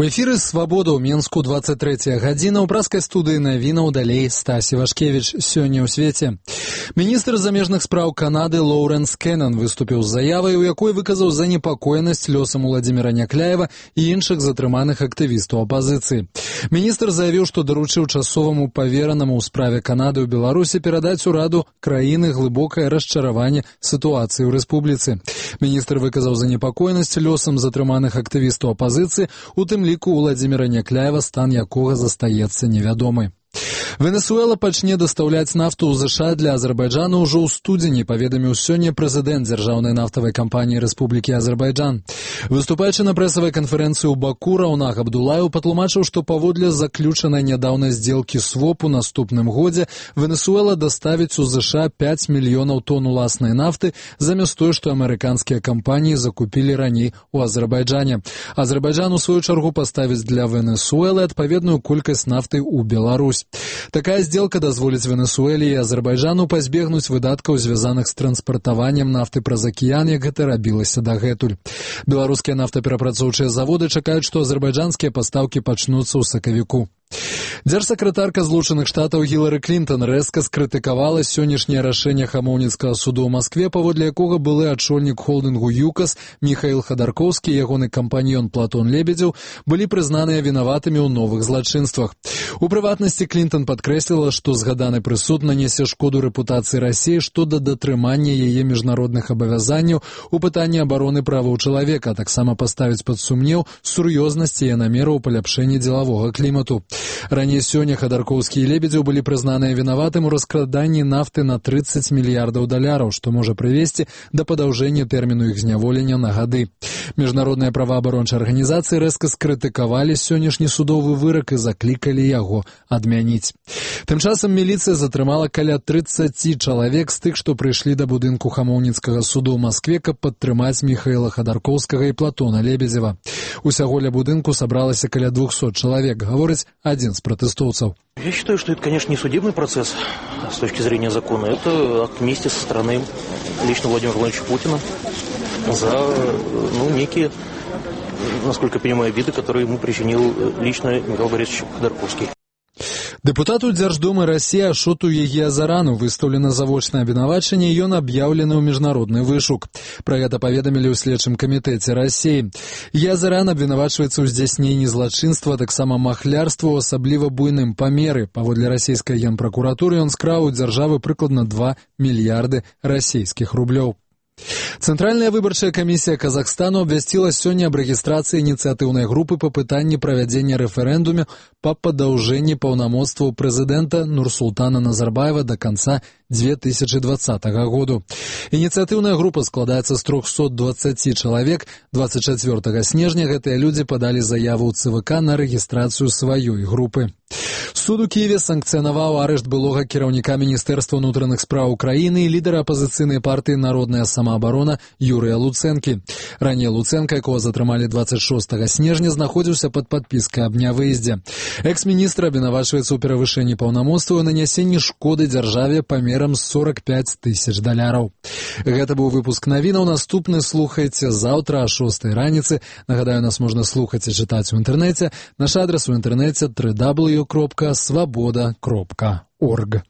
У эфіры «Свабода» ў Менску 23 гадзіна. У праскай студыі навінаў далей Стась Івашкевіч. Сёння ў свеце. Міністр замежных спраў Канады Лоўрэнс Кеннан выступіў з заявай, у якой выказаў занепакоенасць лёсам Уладзіміра Някляева і іншых затрыманых актывістаў апазіцыі. Міністр заявіў, што даручыў часоваму паверанаму ў справе Канады ў Беларусі перадаць ураду краіны глыбокае расчараванне сітуацыі ў рэспубліцы. Міністр выказаў занепакоенасць лёсам затрыманых актывістаў апазіцыі, у тым ліку Уладзіміра Някляева, стан якога застаецца невядомы. Венесуэла пачне дастаўляць нафту ў ЗША для Азербайджана ўжо ў студзені, паведаміў сёння прэзідэнт дзяржаўнай нафтавай кампаніі Рэспублікі Азербайджан. Выступаючы на прэсавай канферэнцыі ў Баку, Раўнах Абдулаеў патлумачыў, што паводле заключанай нядаўна здзелкі СВОП у наступным годзе Венесуэла даставіць у ЗША 5 мільёнаў тонн уласнай нафты, замест той, што амерыканскія кампаніі закупілі раней у Азербайджане. Азербайджан, у сваю чаргу, паставіць для Венесуэлы адпаведную колькасць нафты ў Беларусь. Такая сделка дазволіць Венесуэле і Азербайджану пазбегнуць выдаткаў, звязаных з транспартаваннем нафты праз акіян, як гэта рабілася дагэтуль. Беларускія нафтаперапрацоўчыя заводы чакаюць, што азербайджанскія пастаўкі пачнуцца ў сакавіку. Дзяржсакратарка Злучаных Штатаў Гілары Клінтон рэзка скрытыкавала сённяшняе рашэнне Хамоўніцкага суду ў Маскве, паводле якога былы адшольнік холдынгу ЮКАС Міхаіл Хадаркоўскі і ягоны кампаньён Платон Лебедзеў былі прызнаныя вінаватымі ў новых злачынствах. У прыватнасці Клінтон падкрэсліла, што згаданы прысуд нанясе шкоду рэпутацыі Расіі што да датрымання яе міжнародных абавязанняў у пытанні абароны праваў чалавека, а таксама паставіць пад сумнеў сур'ёзнасць яе намераў паляпшэння дзелавога клімату. Раней сёння Хадаркоўскі і Лебедзеў былі прызнаныя вінаватым у раскраданні нафты на 30 мільярдаў даляраў, што можа прывесці да падаўжэння тэрміну іх зняволення на гады. Міжнародныя праваабарончыя арганізацыі рэзка скрытыкавалі сённяшні судовы вырак і заклікалі яго адмяніць. Тым часам міліцыя затрымала каля 30 чалавек з тых, што прыйшлі да будынку Хамоўніцкага суду ў Маскве, каб падтрымаць Міхаіла Хадаркоўскага і Платона Лебедзева. Усяго ля будынку сабралася каля 200 чалавек, гаворыць один из протестовцев. Я считаю, что это, конечно, не судебный процесс с точки зрения закона. Это акт мести со стороны лично Владимира Владимировича Путина за некие, насколько я понимаю, обиды, которые ему причинил лично Михаил Борисович Ходорковский. Дэпутату Дзярждумы Расіі Ашоту Егіязарану выстаўлена завочнае абвінавачанне, і ён аб'яўлены ў міжнародны вышук. Пра гэта паведамілі ў следчым камітэце Расіі. Егіязаран абвінавачваецца ў здзяйсненні злачынства, таксама махлярства ў асабліва буйным памеры. Паводле расійскай генпракуратуры ён скраў у дзяржавы прыкладна 2 мільярды расійскіх рублёў. Цэнтральная выбарчая камісія Казахстану абвясціла сёння аб рэгістрацыі ініцыятыўнай групы па пытанні правядзення рэферэндуме па падаўжэнні паўнамоцтваў прэзідэнта Нурсултана Назарбаева да канца 2020 году. Ініцыятыўная група складаецца з 320 чалавек. 24 снежня гэтыя людзі падалі заяву ў ЦВК на рэгістрацыю сваёй групы. Суд у Киеве санкцыянаваў арышт былога кіраўніка Міністэрства ўнутраных спраў Украіны і лідара апазіцыйнай партыі «Народная самаабарона» Юрыя Луцэнкі. Раней Луцэнка, якога затрымалі 26 снежня, знаходзіўся пад падпіскай аб нявыездзе. Экс-міністр абвінавачваецца ў перавышэнні паўнамоцтваў і нанясенні шкоды дзяржаве памерам 45 тысяч даляраў. Гэта быў выпуск навінаў. Наступны слухайце заўтра о 6 раніцы. Нагадаю, нас можна слухаць і чытаць у інтэрнэце. Наш адрас у інтэрнэце www.swaboda.org.